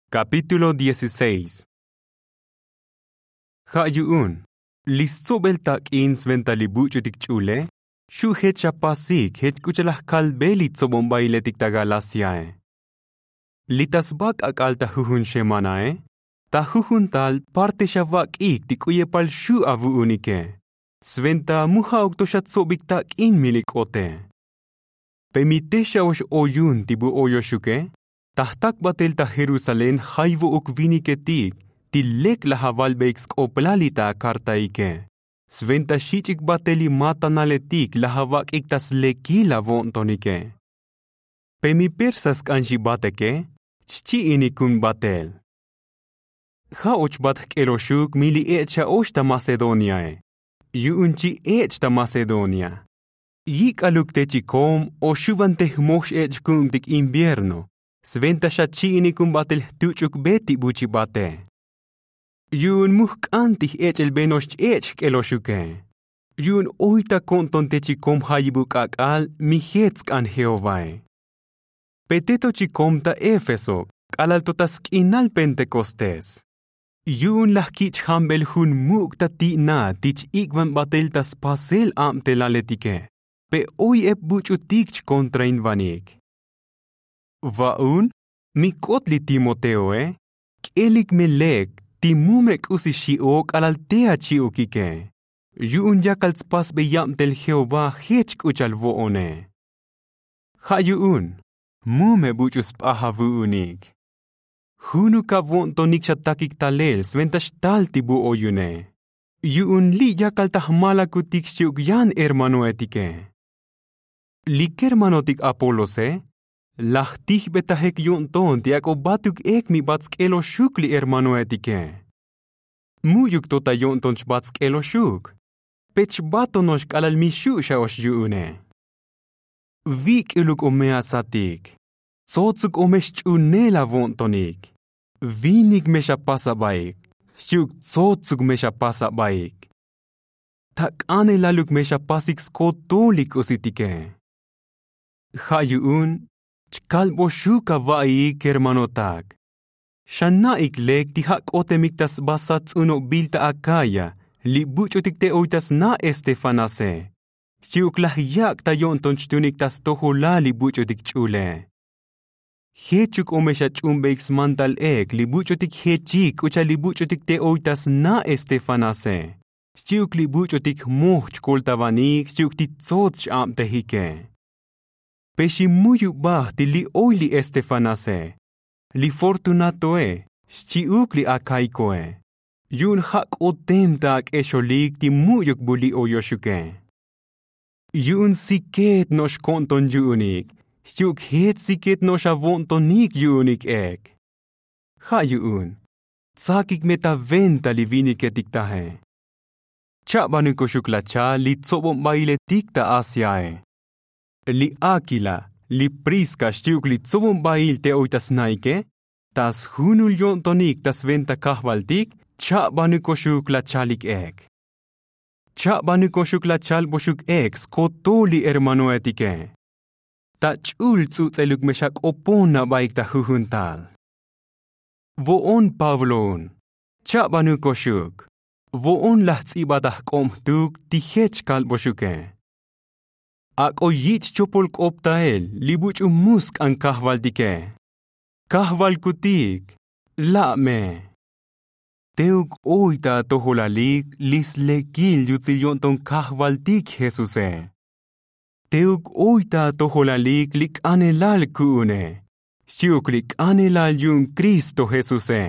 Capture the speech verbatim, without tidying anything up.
Kapítulo dieciséis. Ja' yu'un li stsobel tak'in sventa li buch'utik ch'ule, xu' jech xapasik jech k'u cha'al laj kalbe li tsobonbailetik ta galasiae. Li ta sba k'ak'al ta jujun xemanae, ta jujun tal parte xavak'ik ti k'u yepal xu' avu'unike, sventa mu ja'uk to xatsobik tak'in mi li k'ote. Pe mi te xa'ox oyun ti bu oyoxuke, ta jtak batel ta jerusalén jayvo'uk viniketik ti lek laj avalbeik sk'oplal li ta akartaike, sventa xich'ik batel li matanaletik laj avak'ik ta slekil avo'ntonike. Pe mi persa sk'an xibateke, chchi'inikun batel. Ja'och bat jk'eloxuk mi li ech' xa'ox ta macedoniae, yu'un chi ech' ta macedonia. Yik'aluk te chikom o xuvan te jmoj x'ech' ku'untik invierno, sventa xachi'inikun batel jtuch'uk be ti bu chibate. Yu'un mu jk'an ti j'ech'elbeno'ox ch-ech' jk'eloxuke, yu'un oy ta ko'nton te chikom jayibuk k'ak'al mi jech sk'an jehovae. Pe te to chikom ta éfeso k'alal to ta sk'inal pentekostés, yu'un laj kich' jambel jun muk' ta ti'na ti ch-ik'van batel ta spasel abtelaletike, pe oy ep buch'utik chkontrainvanik. Va'un mi k'ot li timoteoe, k'elik me lek ti mu me k'usi xi'o k'alal te achi'ukike, yu'un yakal tspasbeyab tel jehová jech k'u cha'al vo'one. Ja' yu'un mu me buch'u sp'aj avu'unik. Junuk avo'ntonik xatakik talel sventa xtal ti bu oyune, yu'un li' yakal ta jmalakutik xchi'uk yan hermanoetike. Li kermanotik apolose, laj tijbetajek yo'nton ti ak'o batuk ek mi bat sk'eloxuk li hermanoetike. Mu'yuk to ta yo'nton chbat sk'eloxuk, pe chbatono'ox k'alal mi xu' xa'ox yu'une. Vik'iluk o me asatik, tsotsuk o me xch'unel avo'ntonik, vinik me xapas abaik, xchi'uk tsotsuk me xapas abaik. Ta k'anelaluk me xapasik skotol li k'usitike. Ja' yu'un chkalboxuk ava'iik kermanotak, xana'ik lek ti ja' k'otemik ta sba sat ts'unobil ta akaya li buch'utik te oy ta sna' estefanase, xchi'uk laj yak' ta yo'nton chtunik ta stojolal li buch'utik ch'ule. Jechuk o me xach'unbeik smantal ek li buch'utik jechik k'u cha'al li buch'utik te oy ta sna' estefanase, xchi'uk li buch'utik jmoj chkoltavanik xchi'uk ti tsots x'abtejike. Pe ximuyubaj ti li oy li estefanase, li fortunatoe, xchi'uk li akaikoe, yu'un ja' k'otem ta ak'exolik ti mu'yuk bu li oyoxuke. Yu'un siket no'ox ko'nton yu'unik xchi'uk jech siket no'ox avo'ntonik yu'unik ek. Ja' yu'un tsakik me ta venta li viniketik taje. Cha'banukoxuk lachal li tsobonbailetik ta asiae. Li akila, li priska xchi'uk li tsobonbail te oy ta snaike, ta sjunul yo'ntonik ta sventa kajvaltik, cha'banukoxuk lachalik ek. Cha'banukoxuk lachalboxuk ek skotol li hermanoetike. Ta ch'ul ts'uts'eluk me xak'opon abaik ta jujun tal. Vo'on pabloun, cha'banukoxuk. Vo'on laj ts'ibat ajk'ob jtuk ti jech kalboxuke. Ak'o yich' chopol k'op tael li buch'u mu sk'an kajvaltike. Kajvalkutik, la' me. Teuk oy ta atojolalik li slekil yutsil yo'nton kajvaltik jesuse. Teuk oy ta atojolalik li k'anelal ku'une, xchi'uk li k'anelal yu'un kristo jesuse.